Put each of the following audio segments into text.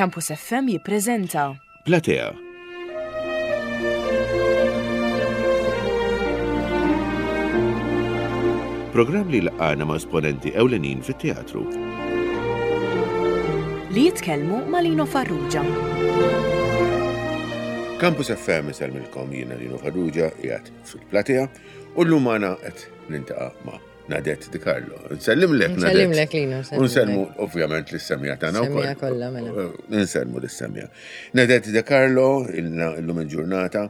Campus FM jippreżenta. Platea. Programm li laqgħana ma' esponenti ewlenin fit-teatru. Li jitkellmu ma' Lino Farrugia. Campus FM isellmilkom jiena Lino Farrugia qiegħed fil-platea u llum magħna qed nintaqa' ma' Nadette Di Carlo. Nsellimlek Nadette. Nsellimlek Lino. Nselmu ovvjament lis-semja tagħna wkoll. Semja kollha mela. Eh, nselmu lis-semja. Nadette Di Carlo illum il-ġurnata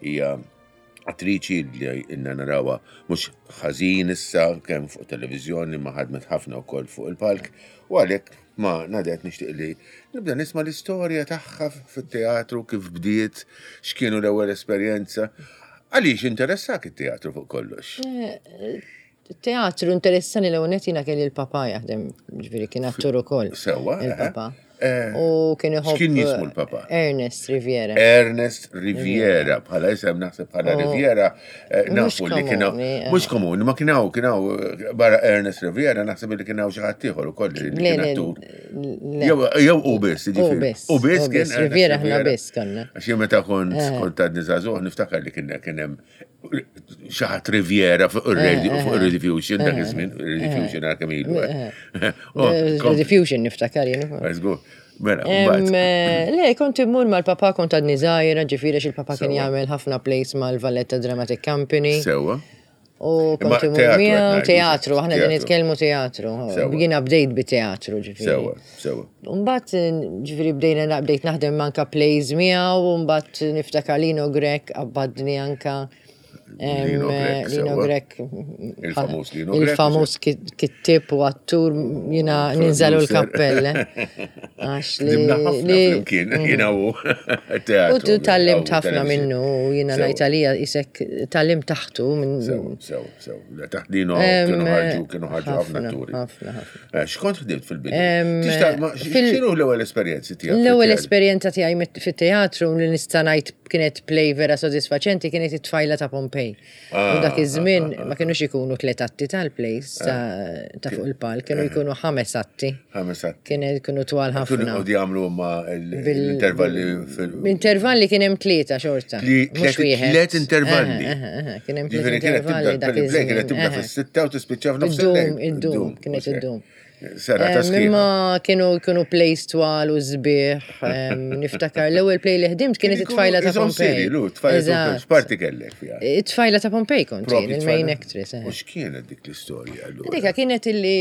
hija attriċi li ilna narawha mhux ħażin issa kemm fuq televiżjoni ma ħadmet ħafna wkoll fuq il-palk u għalhekk ma Nadette nixtieq li nibda nisma' l-istorja tagħha fit-teatru kif bdiet, x'kienu l-ewwel esperjenza. Għaliex interessak it-teatru fuq kollox? Eh, teatru interessani l ewwel jiena kelli l-papa jaħdem, ġifieri kien attur ukoll. Sewwa. Eh, Il-papa. Eh, U kien iħobb. X'kien jismu l-papa? Ernest Riviera. Ernest Riviera, bħala isem naħseb bħala Riviera, nafu li kien mhux komuni, ma kien hawn kien hawn barra Ernest Riviera naħseb li kien hawn xi ħadd ieħor ukoll li kien attur. Jew u biss, jiġifieri. U biss kien. Riviera ħna biss konna. Għax jien meta kont eh. kont għadni żagħżugħ niftakar li kien kien hemm xi ħadd Riviera fuq ir-radio eh, fuq eh. ir-Rediffusion dak iż-żmien, Rediffusion għal kemm ilu. Oh, Rediffusion niftakar jien. Mela, le, kont immur mal-papa kont għadni żgħira, ġifieri il-papa kien jagħmel ħafna plays mal-Valletta Dramatic Company. Sewwa. U kont imur miegħu teatru, aħna din nitkellmu teatru. Jiena bdejt bi teatru ġifieri. Sewwa, sewwa. Mbagħad ġifieri bdejna bdejt naħdem anka plays miegħu u mbagħad niftakar Lino Grech qabbadni anka Lino Grech. Il-famuż Lino Grech. Il-famuż kittib u attur jiena ninżalu l-kappell. Eh. Għax li. Flimkien, mm. jiena u teatru. U tallimt ħafna minnu, jiena ngħid għalija isek tallimt taħtu minn. Sew, sew, sew. Taħt Lino kienu ħarġu, kienu ħarġu ħafna atturi. Ħafna, ħafna. Eh, x'kont ħdimt fil-bidu? X'inhu l-ewwel esperjenzi tiegħek? L-ewwel esperjenza tiegħi fit-teatru li nista' ngħid kienet play vera sodisfaċenti kienet it-tfajla ta' Pompej. U dak iż-żmien ma kinux ikunu tliet atti tal-plays ta' fuq il-palk, kienu jkunu ħames atti. Ħames atti. Kienu jkunu twal ħafna. Kienu jqogħdu jagħmlu ma l-intervalli fil. Intervalli kien hemm tlieta xorta. Mhux wieħed. Tliet intervalli. Kien hemm tliet intervalli dak iż-żmien. Kienet tibda fis-sitta u tispiċċa f'nofs il-lejl. Iddum, iddum, kienet iddum. Serata sħiħa. Imma kienu kienu plays twal u sbieħ. Niftakar l-ewwel play li ħdimt kienet it-tfajla ta' Pompej. Tfajla ta' Pompej. X'parti kellek fiha? It-tfajla ta' Pompej kont jien, il-main actress. U x'kienet dik l-istorja allura? Dika kienet illi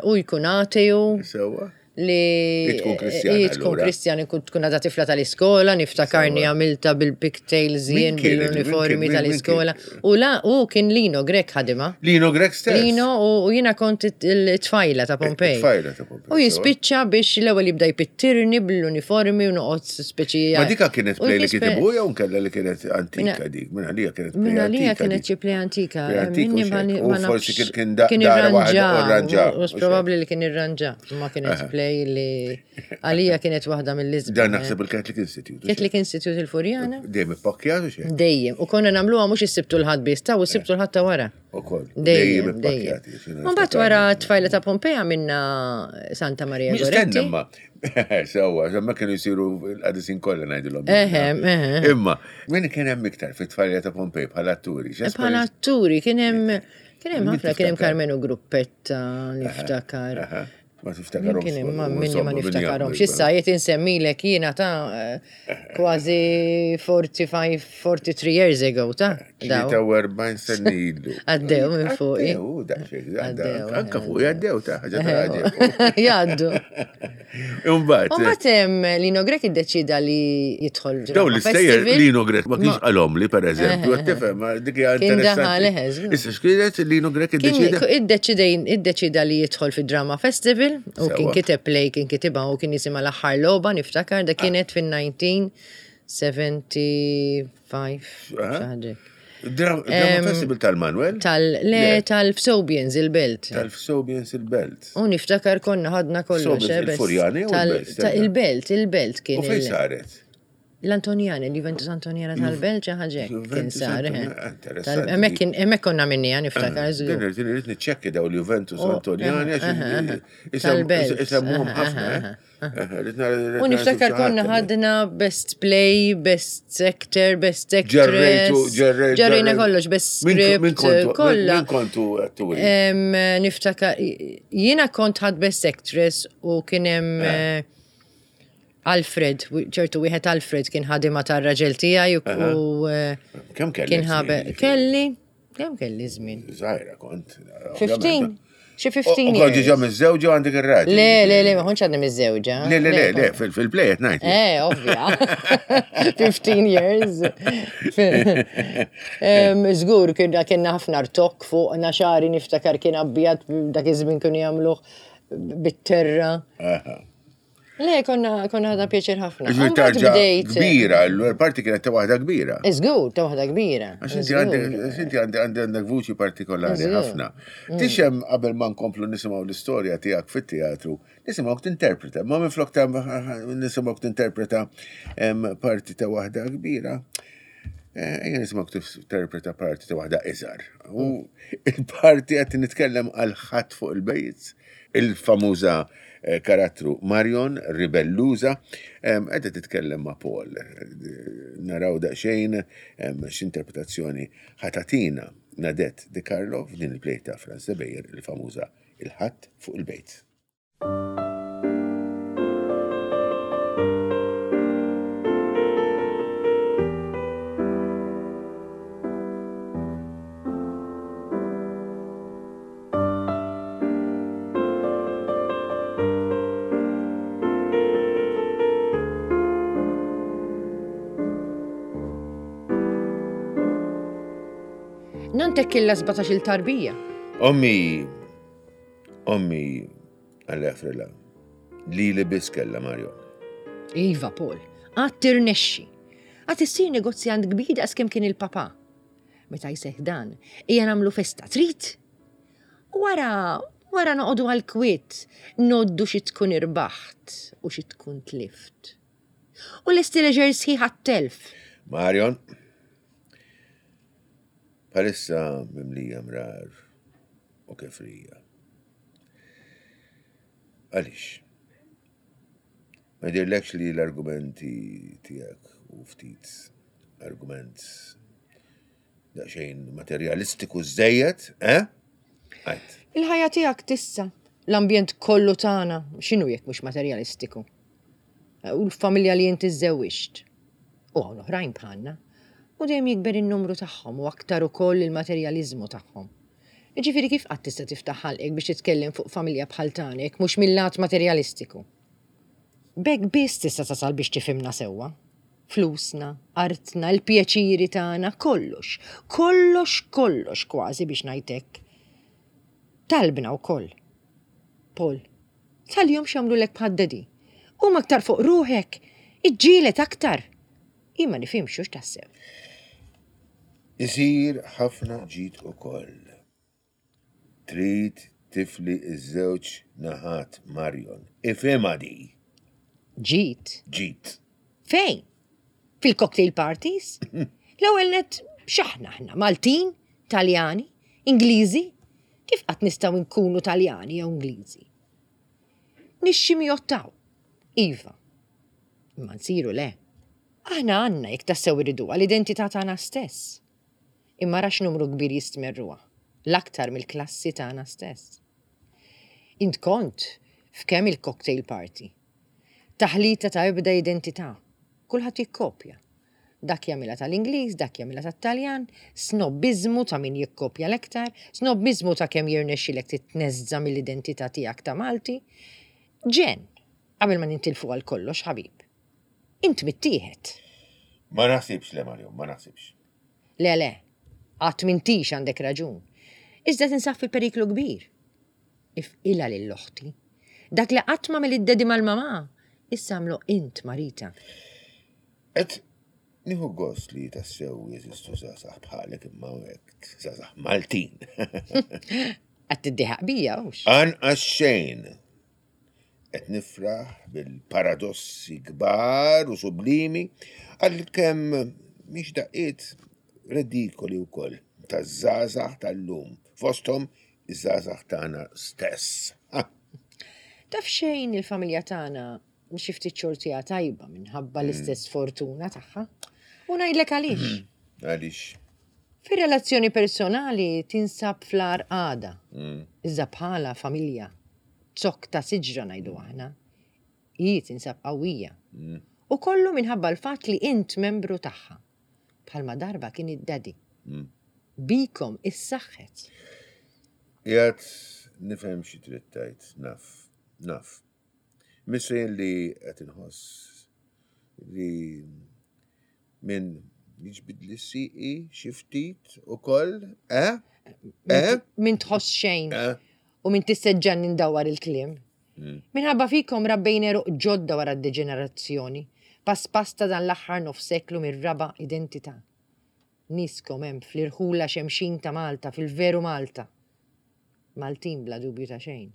u jkun ateju. Sewwa. Li tkun Kristjan. Tkun Kristjan, tkun għadha tifla tal-iskola, niftakarni għamilta bil-pigtails jien bil-uniformi tal-iskola. U la, u kien Lino Grech ħadimha. Lino Grech stess. Lino u jiena kont it-tfajla ta' Pompej. It-tfajla ta' Pompej. U jispiċċa biex l-ewwel jibda jpittirni bl-uniformi u noqgħod speċi. Ma dika kienet play li kitibu jew nkella li kienet antika dik? Minn għalija kienet play antika. Minn għalija kienet xi play antika. Minni ma nafx. Forsi kien dara waħda irranġa. U probabbli li kien irranġa. Ma kienet play li għalija kienet waħda mill-isbaħ. Dan naħseb il-Catholic Institute. Catholic Institute il-Furjana. Dejjem ippakkjat u xejn. Dejjem. U konna nagħmluha mhux is-Sibt u l-Ħadd biss, ta' u s-Sibt u l-Ħadd ta' wara. Ukoll. Dejjem ippakkjat. Mbagħad wara tfajla ta' Pompeja minna Santa Maria Goretti. Stenna ma. Sewwa, ma kienu jsiru l-qadisin kollha ngħidilhom. Eħe, eħe. Imma, min kien hemm iktar fit-tfajla ta' Pompej bħala atturi? Bħala atturi kien hemm Kien hemm ħafna, kien hemm Karmenu Gruppetta, niftakar. Ma tiftakarhomx. Kien hemm minni ma niftakarhomx. Issa qed insemmilek jiena ta' kważi 45, 43 years ago ta' 43 sena ilu. Għaddew minn fuqi. Għaddew, daqsxejn, għaddew. Anka fuqi għaddew ta' ħaġa ta' għaddew. Jgħaddu. Imbagħad. Imbagħad Lino Grech iddeċida li jidħol Daw l-istejjer Lino Grech ma kienx qalhom li pereżempju, qed tifhem, dik hija Kien daħal eħe. Issa x'kienet Lino Grech iddeċida? Iddeċida li jidħol fid-Drama Festival u kien kiteb play kien kitibha u kien jisimha l-aħħar logħba niftakar da kienet fin-1975 xi ħaġa. Drama Festival tal-Manuel? Tal, le, tal-Fsobians il-Belt. Tal-Fsobians il-Belt. U niftakar konna ħadna kollox. Eh, il-Furjani u il-Belt? Il-Belt, il-Belt kien. U fejn saret? L-Antonjana, l-Juventus Antonjana tal-Belt xi ħaġa hekk kien sar. Eh. Hemmhekk kien hemmhekk konna minnija niftakar eh, żgur. Din irid niċċekki daw l-Juventus oh, Antonjana għax isemmuhom ħafna. Eh. U niftakar konna ħadna best play, best actor, best actress. Ġerrejna kollox, best script, kollha. Min kontu atturi? Niftakar, jiena kont ħad best actress u kien hemm Alfred, ċertu wieħed Alfred kien ħadima tar-raġel tiegħi u eh, Kemm kelli? Kien ħabe kelli, kemm kelli żmien? Żgħira kont. 15. Xi 15. U kont diġà miżżewġa għandek ir-raġel. Le, le, le, ma kontx għadni miżżewġa. Le, le, le, le, fil-play qed ngħid. Eh, ovvja. 15 years. Żgur kienna ħafna rtok fuq xari niftakar kien abjad dak iż-żmien kienu jagħmluh bit-terra. Le, konna konna ħadna pjaċir ħafna. Ġifieri tarġa kbira, l-parti kienet ta' waħda kbira. Iżgur, ta' waħda kbira. Għax inti għandek għandek vuċi partikolari ħafna. Mm. Tixem qabel ma nkomplu nisimgħu l-istorja tiegħek fit-teatru, nisimgħu tinterpreta, ma minflok ta' nisimgħu tinterpreta parti ta' waħda kbira. Eh, ejja nisimgħu tinterpreta parti ta' waħda iżgħar. U mm. il-parti qed nitkellem għal ħadd fuq il-bejt, il-famuża eh, karattru Marion, ribelluża, qiegħda titkellem ma' Paul. Naraw daqsxejn x'interpretazzjoni ħatatina Nadette De Carlo f'din il-play ta' Franz de Beyer, il-famuża Il-ħadd fuq il-bejt. Nantek kella 17 il tarbija. Ommi, ommi, għalla frilla, li li biss kella Mario. Iva, Paul, għad tirnexxi. Għad issir negozjant kbir daqs kemm kien il-papa. Meta jseħħ dan, ejja nagħmlu festa, trid? U wara, wara noqogħdu għall-kwiet, ngħoddu xi tkun irbaħt u xi tkun tlift. U lesti leġer sħiħ għat-telf. Marion, bħalissa mimlija mrar u kefrija. Għaliex? Ma jidhirlekx li l-argumenti tiegħek u ftit argument daqsxejn materjalistiku żejjed, eh? Għajt. Il-ħajja tiegħek tissa, l-ambjent kollu tagħna, x'inhu jekk mhux materjalistiku? U l-familja li inti żżewwiġt. U hawn oħrajn bħalna. U dejjem jikber in-numru tagħhom u aktar ukoll il-materjaliżmu tagħhom. Jiġifieri kif qatt tista' tiftaħ ħalqek biex titkellem fuq familja bħal tagħna jekk mhux mil-lat materjalistiku? B'hekk biss tista' tasal biex tifhimna sewwa. Flusna, artna, il-pjaċiri tagħna, kollox, kollox, kollox kważi biex ngħid hekk. Talbna wkoll. Paul, tħallihomx jagħmlulek bħad-daddy. Qum aktar fuq ruħek, iġġieled aktar. Jien ma nifhimx hux tassew. Isir ħafna ġid ukoll. Trid tifli ż-żewġ naħat Marion. Ifhimha di! Ġid? Ġid. Fejn? Fil-cocktail parties? L-ewwel nett x'aħna aħna? Maltin? Taljani? Ingliżi? Kif qatt nistgħu nkunu Taljani jew Ingliżi? Nixximjottaw. Iva. Imma nsiru le. Aħna għandna, jekk tassew irriduha, l-identità tagħna stess. Imma ara x'numru kbir jistmerruha, l-aktar mill-klassi tagħna stess. Int kont f'kemm il-cocktail party. Taħlita ta' ebda identità. Kulħadd jikkopja. Dak jagħmilha tal-Ingliż, dak jagħmilha tat-Taljan, snobbiżmu ta' min jikkopja l-aktar, snobbiżmu ta' kemm jirnexxilek titneżża' mill-identità tiegħek ta' Malti. Ġenn! Qabel ma nintilfu għal kollox, ħabib. Int mittieħed. Ma naħsibx le, Mario, ma naħsibx. Le, le. Għad m'intix għandek raġun. Iżda tinsab fi periklu kbir. Ifqilha lil oħti. Dak li qatt m'għamel id-daddy mal-mamà, issa għamlu int ma' Rita. Qed nieħu gost li tassew jeżistu żgħażagħ bħalek imma hekk żgħażagħ Maltin. Qed tiddieħaq bija, hux? Anqas xejn. Qed nifraħ bil-paradossi kbar u sublimi għalkemm mhix daqqiet redikoli wkoll taż-żgħażagħ tal-lum, fosthom iż-żgħażagħ tagħna stess. Taf xejn il-familja tagħna xi ftit xortiha tajba minħabba mm. l-istess fortuna tagħha. U ngħidlek għaliex. Mm. Għaliex. Fir-relazzjoni personali tinsab fl-ar għada. Mm. Iżda bħala familja zokk ta' siġra ngħidu aħna, hi tinsab qawwija. Mm. U kollu minħabba l-fatt li int membru tagħha. Bħalma darba kien id-daddy. Mm. Bikom issaħħet. Jgħat nifhem xi trid tgħid, naf, naf. Misrin li qed inħoss li Min jiġbidli siqi xi ftit ukoll, eh? Eh? Min tħoss xejn. Eh? U min tisseġġan indawwar il-kliem. Mm. Minħabba fikom rabbejn eruq ġodda wara d-deġenerazzjoni, pass pass ta' dan l-aħħar nofs seklu mir-raba' identità. Niskom hemm fl-irħula xemxin ta' Malta, fil-veru Malta. Maltin bla dubju ta' xejn.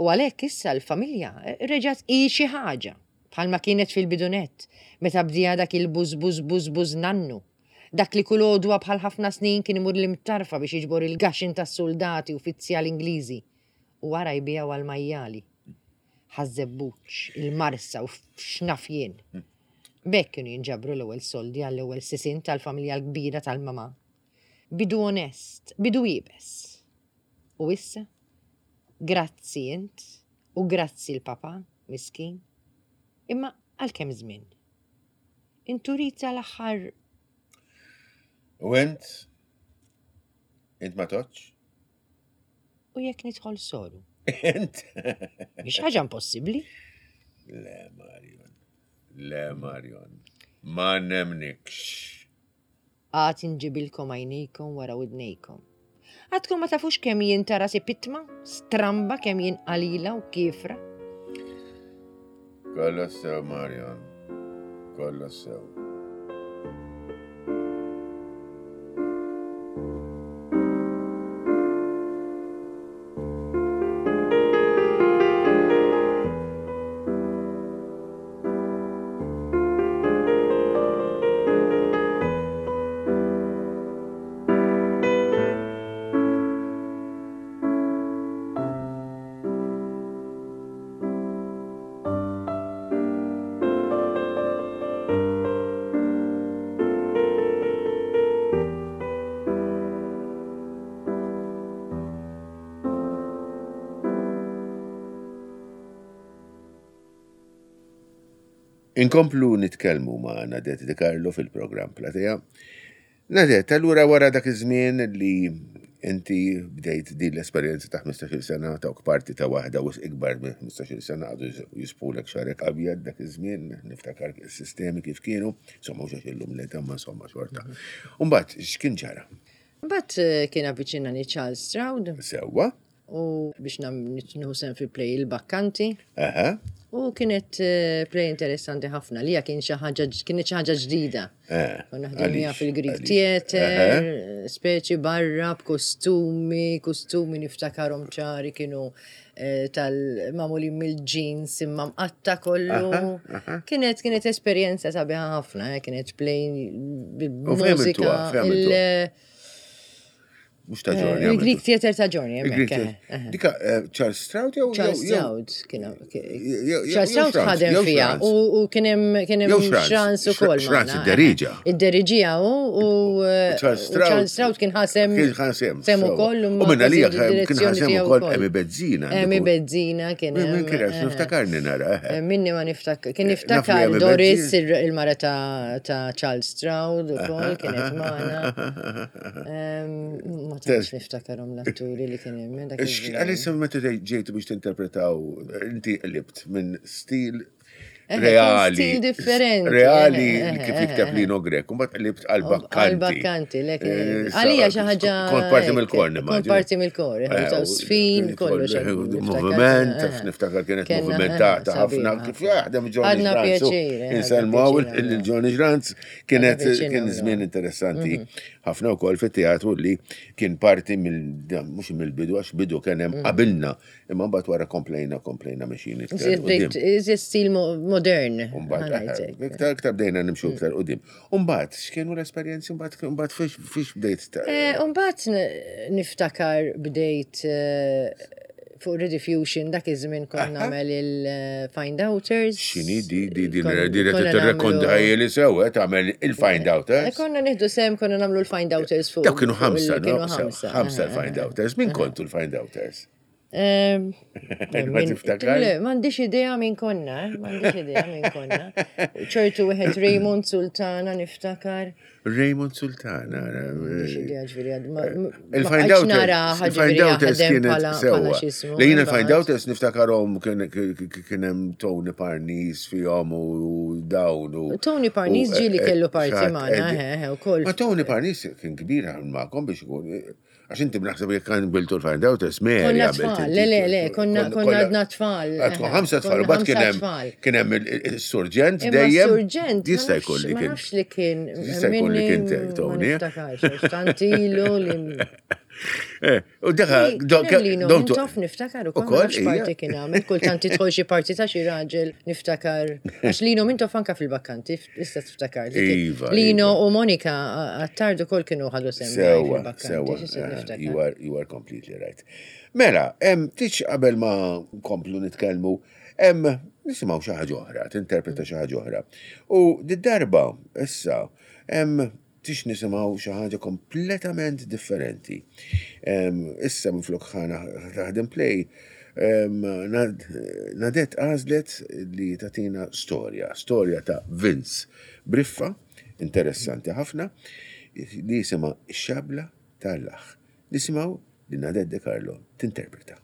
U għalhekk issa l-familja reġgħet hi xi ħaġa, bħalma kienet fil-bidu nett, meta bdieha dak il-bużbużbużbuż nannu. Dak li kull għodwa bħal ħafna snin kien imur l-Imtarfa biex jiġbor il-gaxin tas-suldati uffizzjali Ingliżi u wara jbiegħu għall-majjali. Ħaż-Żebbuġ, il-Marsa u x'naf jien. B'hekk kienu jinġabru l-ewwel soldi għall-ewwel sisien tal-familja l-kbira tal-mamà. Bidu onest, bidu iebes. U issa? Grazzi int u grazzi l-papà, miskin. Imma għal kemm żmien? Inturit sal-aħħar. U int? Int ma toċ? U jekk nidħol soru? Int? Mhix ħaġa impossibbli. Le, Marion. Le, Marion. Ma nemnikx. Għad inġibilkom għajnejkom wara widnejkom. Għadkom ma tafux kemm jien ta' rasi pitma, stramba kemm jien qalila u kiefra. Kollox sew, Marion. Kollox sew. Inkomplu nitkellmu ma' Nadette De Carlo fil-programm Platea. Nadette, allura wara dak iż-żmien li inti bdejt din l-esperjenza ta' 15-il sena ta' parti ta' waħda wisq ikbar minn 15-il sena għadu jisbħulek xagħrek abjad dak iż-żmien, niftakar is-sistemi kif kienu, insomma mhux għax illum l-età ma insomma xorta. Umbagħad x'kien ġara? Mbagħad eh, kien avviċinani Charles Stroud. Sewwa. U biex nieħu sehem fil-play il-Bakkanti. U kienet eh, play interessanti ħafna li kien xi ħaġa kienet xi ħaġa ġdida. Eh, Konna ħdimniha fil-Greek Theater, speċi barra b'kostumi, kostumi niftakarhom ċari kienu eh, tal-mamulin mill-jeans imma mqatta kollu. Kienet kienet esperjenza sabiħa ħafna, kienet play bil-mużika. Mux ta' ġorni. Eh, Il-Greek Theater ta' ġorni, eh, Dika eh, Charles Stroud jew? Charles Stroud kien Charles Stroud ħadem fija u kien hemm Xrans ukoll. Xrans id-deriġa. Id-deriġija u Charles Stroud kien ħasem. Kien ħasem. Sem ukoll. U minna li kien ħasem ukoll Emi Bezzina. Emi Bezzina kien. Min kien niftakarni nara. Minni ma niftakar. Kien niftakar Doris il-mara ta' Charles Stroud ukoll kienet magħna. Ma tantx niftakarhom l-atturi li kien hemm. Għalissa meta ġejtu biex tinterpretaw, inti qlibt minn stil. reali. Stil differenti. Reali kif jikteb Lino Grek, u mbagħad qlibt għal bakkanti. Għal bakkanti, lek. Għalija xi ħaġa. Kont parti mill-kor, Kont parti mill-kor, sfin, kollox. Moviment, niftakar kienet movimentata ħafna, kif jaħdem Johnny Ġranz. Inselmu il-Johnny Ġranz kienet kien żmien interessanti mhm. ħafna wkoll fit-teatru li kien parti mill mhux mill-bidu għax bidu kien hemm mhm. qabilna Imma mbagħad wara komplejna, komplejna mexjin iktar. Iżjed stil modern. Mbagħad eh, iktar iktar bdejna nimxu mm. iktar qudiem. Mbagħad x'kienu l-esperjenzi mbagħad mbagħad fiex bdejt eh, Mbagħad niftakar bdejt eh, fuq Rediffusion dak iż-żmien kont nagħmel il-Find Outers. X'inhi di di di di tirrekonda li sew tagħmel il-Find Outers. Konna nieħdu sem konna nagħmlu l-Find Outers fuq. Dawk kienu ħamsa, ħamsa l-Find Outers. Min kontu l-Find Outers? Ma tiftakar? Le, m'għandix idea minn konna, eh, m'għandix idea minn konna. ċertu wieħed Raymond Sultana niftakar. Raymond Sultana. M'għandix idea ġifieri għad. Il-Find Outers. Il-Find Outers kienet sewwa. Li jien il-Find Outers niftakarhom kien hemm Tony Parnis fihom u dawn u. Tony Parnis ġieli kellu parti magħna, eh, ukoll. Ma Tony Parnis kien kbir magħkom biex ikun Għax inti naħseb jekk kan biltu l-find out, Mary. Konna tfal, le, le, le, konna għadna tfal. Għadkom ħamsa tfal, u bat kien hemm il-surġent dejjem. Surġent. Jista' jkun li kien. Ma nafx li kien. Jista' jkun li kien Tony. Tantilu li. Eh, u daħa, don tof niftakar u kol parti kien għamil, kultant tidħol xi parti ta' xi raġel niftakar. Għax Lino minn tof anka fil-bakkanti, Issa tiftakar. Iva. Lino iva. u Monika Attard ukoll kienu ħadu sem. Sewa, sewa. Eh, you are, you are completely right. Mela, em, tiċ qabel ma nkomplu nitkellmu, em, nisimgħu xi ħaġa oħra, tinterpreta xi ħaġa oħra. U d-darba issa, em, tix nisimgħu xi ħaġa kompletament differenti. Issa minflok ħana taħdem play, Nadette għażlet li tatina storja, storja ta' Vince Briffa, interessanti ħafna, li jisimha Ix-Xabla tal-Laħ. Nisimgħu li Nadette De Carlo tinterpreta.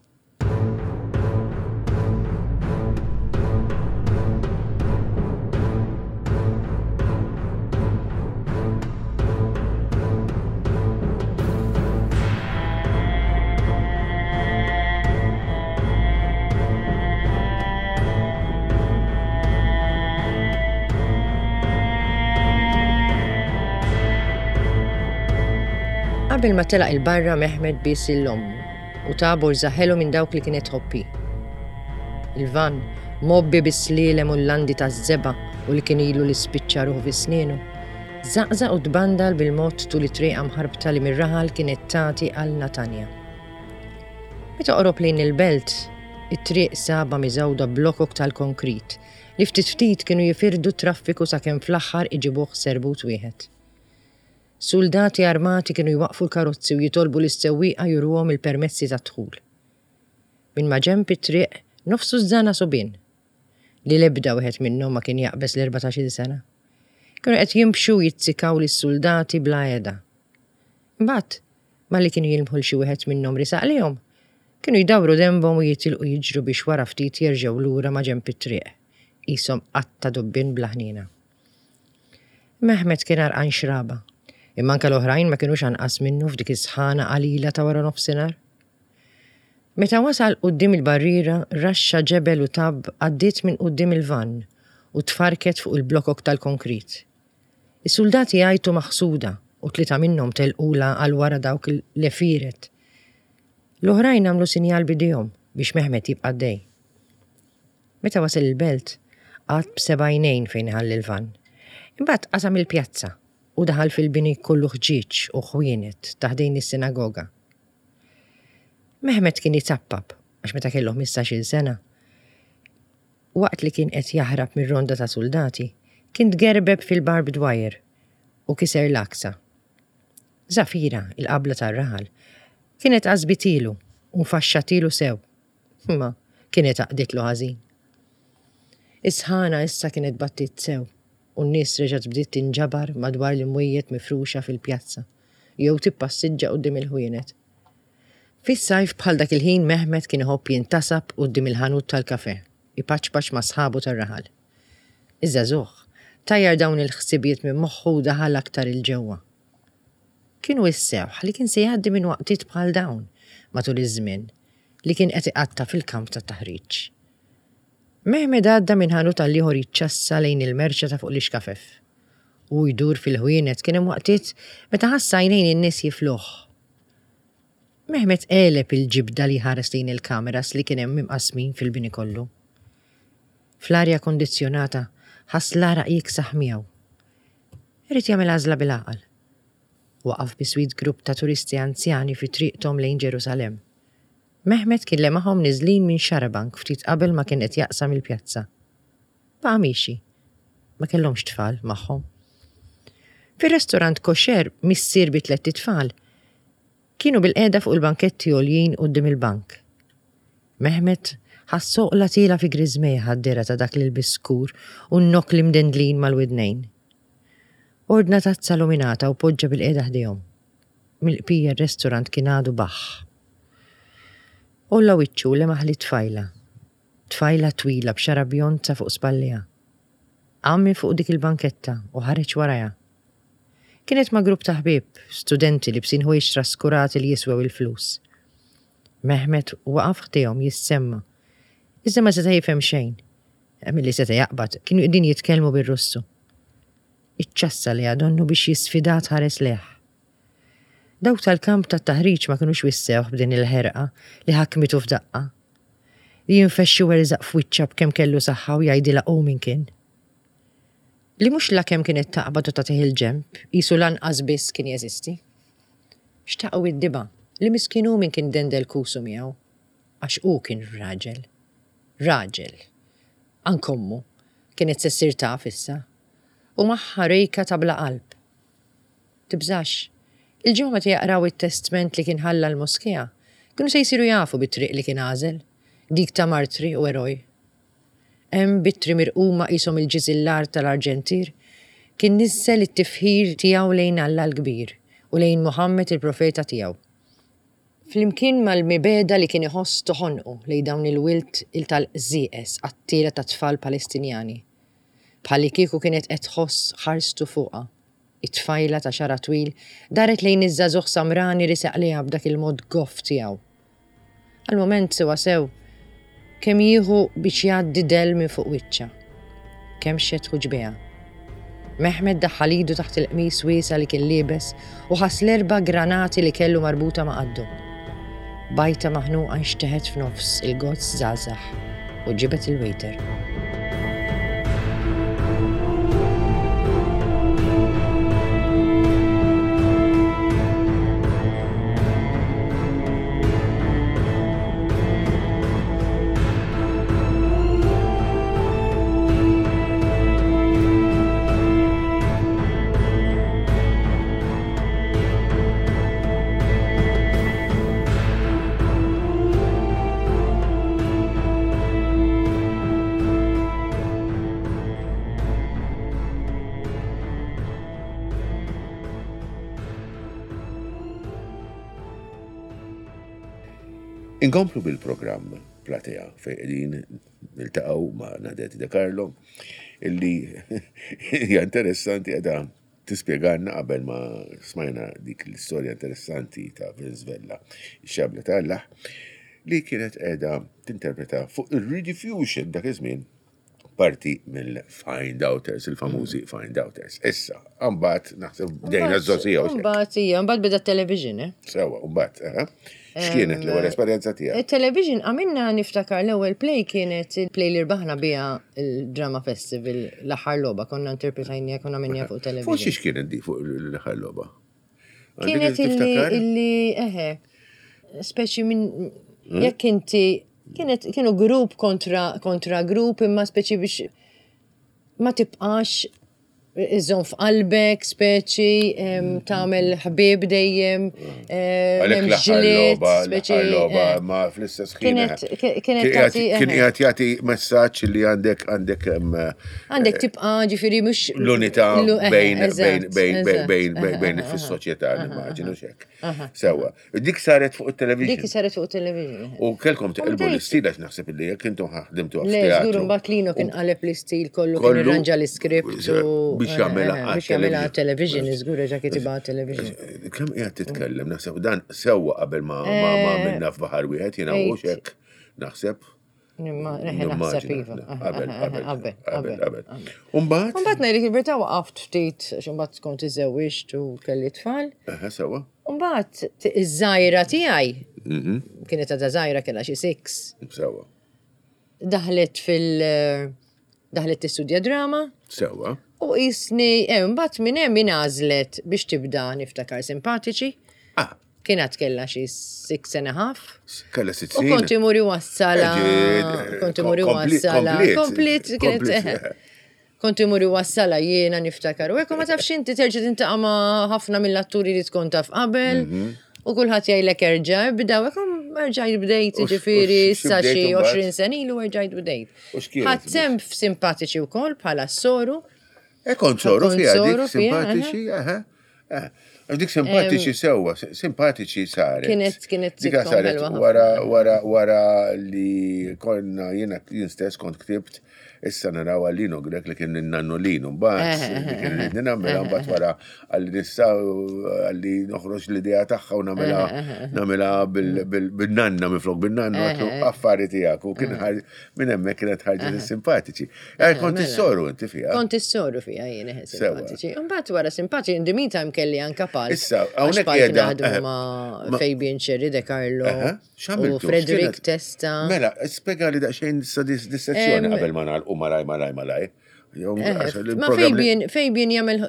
Qabel ma telaq 'il barra Mehmet bies lil ommu u ta borża ħelu minn dawk li kienet tħobb hi. Il-vann, mgħobbi bis-slielem u l-landi taż-żebgħa u li kien ilu li spiċċa ruħu fi snienu, żaqżaq u tbandal bil-mod tul it-triqa mħarbta li mir-raħal kienet tagħti għal Natanja. Meta qorob lejn il-belt, it-triq sabha miżgħuda b'blokok tal-konkrit li ftit ftit kienu jifirdu t-traffiku sakemm fl-aħħar iġibuh serbut wieħed. Suldati armati kienu jwaqqfu l-karozzi u jitolbu lis-sewwieqa juruhom il-permessi tad-dħul. Minn maġenb it-triq nofs tużżana subien, li l-ebda wieħed minnhom ma kien jaqbeż l-erbatax-il sena, kienu qed jinbxu u jizzikaw lis-suldati bla heda. Imbagħad, malli kienu jilmħu 'l xi wieħed minnhom riesaq lejhom, kienu jdawru denbhom u jitilqu jiġru biex wara ftit jerġgħu lura maġenb it-triq, qishom qatta dubbien bla ħniena. Mehmet kien għarqan xraba, imma anke l-oħrajn ma kinux anqas minnu f'dik is-sħana qalila ta' wara nofsinhar. Meta wasal quddiem il-barriera, raxxa ġebel u tabb għaddiet minn quddiem il-vann u tfarrket fuq il-blokok tal-konkrit. Is-suldati għajtu maħsuda u tlieta minnhom telqulha għal wara dawk l-għefieret. L-oħrajn għamlu sinjal b'idejhom biex Mehmet jibqa' għaddej. Meta wasal il-belt, qagħad b'seba' għajnejn fejn iħalli l-vann. Imbagħad qasam il-pjazza u daħal fil-bini kollu ħġieġ u ħwienet ta' ħdejn is-sinagoga. Mehmet kien itappap għax meta kellu ħmistax-il sena, waqt li kien qed jaħrab mir-ronda ta' suldati, kien tgerbeb fil-barbed wire u kiser l-għaksa. Zafira, il-qabla tar-raħal, kienet qasbitilu u nfaxxatilu sew. Imma kienet għaqditlu ħażin. Is-sħana issa kienet battiet sew u n-nies reġgħet bdiet tinġabar madwar l-imwejjed mifruxa fil-pjazza jew tippassiġġa quddiem il-ħwienet. Fis-sajf bħal dak il-ħin Mehmet kien iħobb jintasab quddiem il-ħanut tal-kafè, ipaċpaċ ma' sħabu tar-raħal. Iż-żagħżugħ tajjar dawn il-ħsibijiet minn moħħu u daħal aktar 'il ġewwa. Kien wissewh li kien se jgħaddi minn waqtiet bħal dawn matul iż-żmien li kien qed iqatta' fil-kamp tat-taħriġ. Mehmed għadda minn ħanut għal ieħor jiċċassa lejn il-merċa ta' fuq l-ixkafef. Hu jdur fil-ħwienet kien hemm waqtiet meta ħass għajnejn in-nies jifluh. Mehmet għeleb il-ġibda li jħares lejn il-kameras li kien hemm imqassmin fil-bini kollu. Fl-arja kondizzjonata ħass l-għaraq jiksaħ miegħu. Irid jagħmel għażla bil-għaqal. Waqaf biswit grupp ta' turisti anzjani fi triqthom lejn Ġerusalemm. Mehmet kien lemaħhom niżlin minn xarabank ftit qabel ma kien qed jaqsam il-pjazza. Baqa' miexi. Ma kellhomx tfal magħhom. Fir-restorant kosher missier bi tlett itfal kienu bilqiegħda fuq il-banketti għoljin quddiem il-bank. Mehmet ħass għoqla tielgħa fi griżmejh għad-dehra ta' dak l-ilbies skur u n-nokkli mdendlin mal-widnejn. Ordna tazza luminata u poġġa bilqiegħda ħdejhom. Mill-qpija r-restorant kien għadu baħħ. Għolla wiċċu u lemaħ lit-tfajla. Tfajla twila b'xagħra bjond sa fuq spallejha. Qam minn fuq dik il-banketta u ħareġ warajha. Kienet ma' grupp ta' ħbieb, studenti libsin ħwejjeġ traskurati li jiswew il-flus. Mehmet waqaf ħdejhom jissemma', iżda ma seta' jifhem xejn. Milli seta' jaqbad, kienu qegħdin jitkellmu bir-Russu. Iċċassa lejha donnu biex jisfidaha tħares lejh. Dawk tal-kamp tat-taħriġ ma kinux wissewh b'din il-ħerqa li ħakmitu f'daqqa. Li jinfexx iwerżaq f'wiċċha b'kemm kellu saħħa u jgħidilha hu min kien. Li mhux lakemm kienet taqbad u tagħtih il-ġenb, qisu lanqas biss kien jeżisti. Xtaq iwiddibha li miskin hu min kien dendel kusu miegħu. Għax hu kien raġel. Raġel. Anke ommu kienet se ssir taf issa. U magħha Rejka ta' bla qalb. Tibżax. Il-ġimgħa meta jaqraw it-testment li kien ħalla l-moskea, kienu se jsiru jafu bit-triq li kien għażel, dik ta' martri u eroj. Hemm b'ittri mirquma qishom il-ġiżillar tal-arġentier, kien niżżel it-tifħir tiegħu lejn Alla l-Kbir u lejn Muħammed il-Profeta tiegħu. Flimkien mal-mibegħda li kien iħoss toħonqu lejn dawn il-wild il-tal-qżieqeż qattiela ta' tfal Palestinjani. Bħallikieku kienet qed tħoss ħarstu fuqha. It-tfajla ta' xagħarha twil daret lejn iż-żagħżugħ samrani riesaq lejha b'dak il-mod goff tiegħu. Għal mument sewwasew kemm jieħu biex jgħaddi dell minn fuq wiċċha. Kemmxet ħuġbejha. Mehmet daħħal idu taħt il-qmis wiesa' li kien liebes u ħass l-erba' granati li kellu marbuta ma' qaddu. Bajta maħnuqa nxteħet f'nofs il-gozz żgħażagħ u ġibed il-waiter. Inkomplu bil-programm Platea fejn qegħdin niltaqgħu ma' Nadette De Carlo illi hija interessanti qiegħda tispjegalna qabel ma smajna dik l-istorja interessanti ta' Vince Vella, ix-xabla ta' Allah, li kienet qiegħda tinterpreta fuq ir-Rediffusion dak iż-żmien parti mill-Find Outers, il-famużi Find Outers. Issa, mbagħad naħseb bdejna ż-żogħżija. Mbagħad hija, mbagħad beda television, eh? Sewa, mbagħad, eh? X'kienet l-ewwel esperjenza tiegħek? Il-television għamilna niftakar l-ewwel play kienet il-play li rbaħna biha il-Drama Festival l-aħħar logħba konna interpretajnija konna minnija fuq television. Fuq xiex kienet di fuq l-aħħar logħba? Kienet illi eħe, speċi minn hmm? jekk inti kienet kienu grupp kontra kontra grupp imma speċi biex ma tibqax. Iżżomm f'qalbek, speċi, tagħmel ħbieb dejjem, eh, Għalhekk m'hemmx l-aħħar ġlied, logħba, speċi. l-aħħar logħba eh. ma fl-istess ħin. Kienet eh, kienet Kien qiegħed tagħti kien eh. qiegħed jagħti messaġġ li għandek għandek em, Għandek tibqa' ġifieri mhux l-unità l- eh, bejn bejn eżatt, bejn bejn eżatt, bejn eh, bejn bejn eh, fis-soċjetà nimmaġinu x'hekk. Sewwa. Dik saret fuq Dik it-television. saret fuq television. U kelkom teqilbu bdejt- l-istil għax naħseb li jekk intom ħdimtu Le, żgur teatru. mbagħad Lino kien qaleb l-istil kollu kien Kollu irranġa l-iskript u biex jagħmilha eh, eh, biex jagħmilha għat-television. television, żgur reġa' kitibha television. Kemm qiegħed titkellem naħseb dan sewwa qabel ma ma ma għamilna f'baħar wieħed jiena u Ejt. hekk naħseb. Nimma reħe naħseb iva. Qabel, qabel, Qabel, qabel, qabel. Umbagħad? Mbagħad ngħidlek il-verità waqaft ftit għax imbagħad kont iżewwiġt u kelli tfal. Eħe, sewwa. Mbagħad iż-żgħira tiegħi kienet għadha żgħira kellha xi six. Sewwa. Daħlet fil daħlet tistudja drama Sewwa. u jisni, eh, mbagħad minn hemm ingħażlet biex tibda niftakar simpatiċi. Ah, Kienet kellha xi six and a half. kella sitt U snin. kont imur iwassala. Eh, Kont imur kompli- iwassala. komplet. Komplet, kienet. Komplet, eh. Kont imur iwassala jiena niftakar. U hekk ma tafx inti terġa' tintaqa' ma' ħafna mill-atturi li tkun taf qabel. Mhm. U kulħadd jgħidlek erġa' ibda, u hekk erġajt bdejt, U x- u ġifieri x- issa xi xi bdejt imbagħad? 20 sena ilu erġajt bdejt. U x'kienet Ħadd sehem f'simpatiċi wkoll bħala s-soru. E kont soru Kont fiha dik soru fiha, simpatiċi, eħe. eh. Għax Dik simpatiċi sewwa, simpatiċi saret. Kienet- kienet Dika sitcom saret ħelwa ħafna. wara wara wara li konna jiena jien stess kont ktibt issa naraw għal Lino Grek li kien nannu Lino mbagħad li kien ridni nagħmilha mbagħad wara għalli nissa għalli noħroġ l-idea tagħha u nagħmilha nagħmilha bil-nanna minflok bin-nannu għatlu affari tiegħek u kien ħar- minn hemmhekk kienet ħarġet is-simpatiċi. Eh, Kont mela. is-soru inti fiha. Kont is-soru fija jien eħe Sewa. simpatiċi. Imbagħad wara simpatiċi, in the meantime kelli anka palk. Issa, Għax hawnhekk palk qiegħda- naħdmu eh, ma' ma- Fabian Cherry De Carlo Aha, u x'għamiltu? Frederick X'kienet- Testa. Mela, spiega li daqsxejn sa dis dis-sezzjoni Em, qabel ma nagħlqu malaj malaj malaj. Jew Eh, għax Ma il-programm li- Fabian, Fabian jagħmel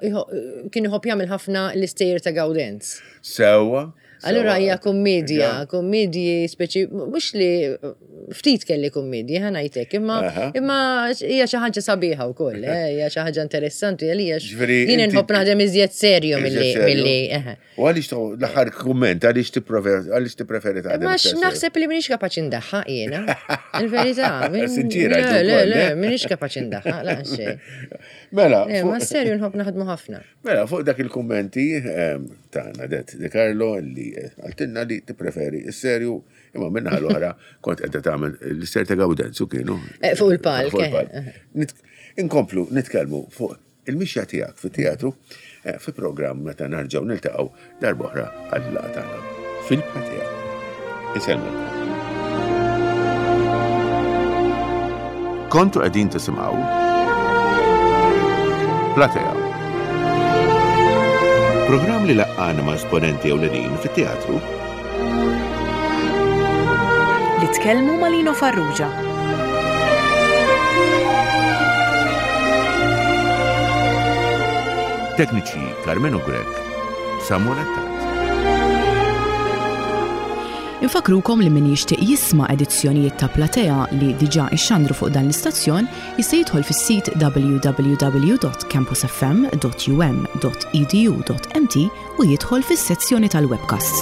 kien iħobb jagħmel ħafna l-istejjer ta' Gaudenz. Sewwa. Allura sewwa. hija kummedja, Ja. kummedji speċi mhux li ftit kelli kummedji ħa ngħidlek, imma Aha. imma hija xi ħaġa sabiħa wkoll, eh, hija xi ħaġa interessanti għalija. Ġifieri Jien inti- inħobb naħdem iżjed serju milli Iżjed serju. milli eħe. U għaliex to- l-aħħar kumment, għaliex tippreferi għaliex tippreferi taħdem. Ma iktar serju? naħseb li minix kapaċi ndaħħaq jiena. Il-verità. min- Sinċira, Le, jgħidu le, wkoll, le, eh? minix kapaċi ndaħħaq, la xejn. Mela, Eh, fuq- Ma serju nħobb naħdmu ħafna. Mela, fuq dak il-kummenti ehm, ta' Nadette De Carlo li eh, għaltinna li tippreferi is-serju imma minna l-oħra kont qiegħda tagħmel l-ister ta' Gaudenzu kienu. Eh, fuq il-palk, Fuq eh, il-palk. Nit- Inkomplu nitkellmu fuq il-mixja tiegħek fit-teatru eh, fi programm meta narġgħu niltaqgħu darb'oħra għal-laqgħa tagħna fil-platea. Insellmu. Kontu qegħdin tisimgħu Platea. Programm li laqqana ma' esponenti ewlenin fit-teatru Li tkellmu ma' Lino Farrugia. Tekniċi Carmenu Grek, Samuel Attard. Infakrukom li min jixtieq jisma' edizzjonijiet ta' Platea li diġà ixxandru fuq dan l-istazzjon jista' jidħol fis-sit www.campusfm.um.edu.mt u jidħol fis-sezzjoni tal-webcasts.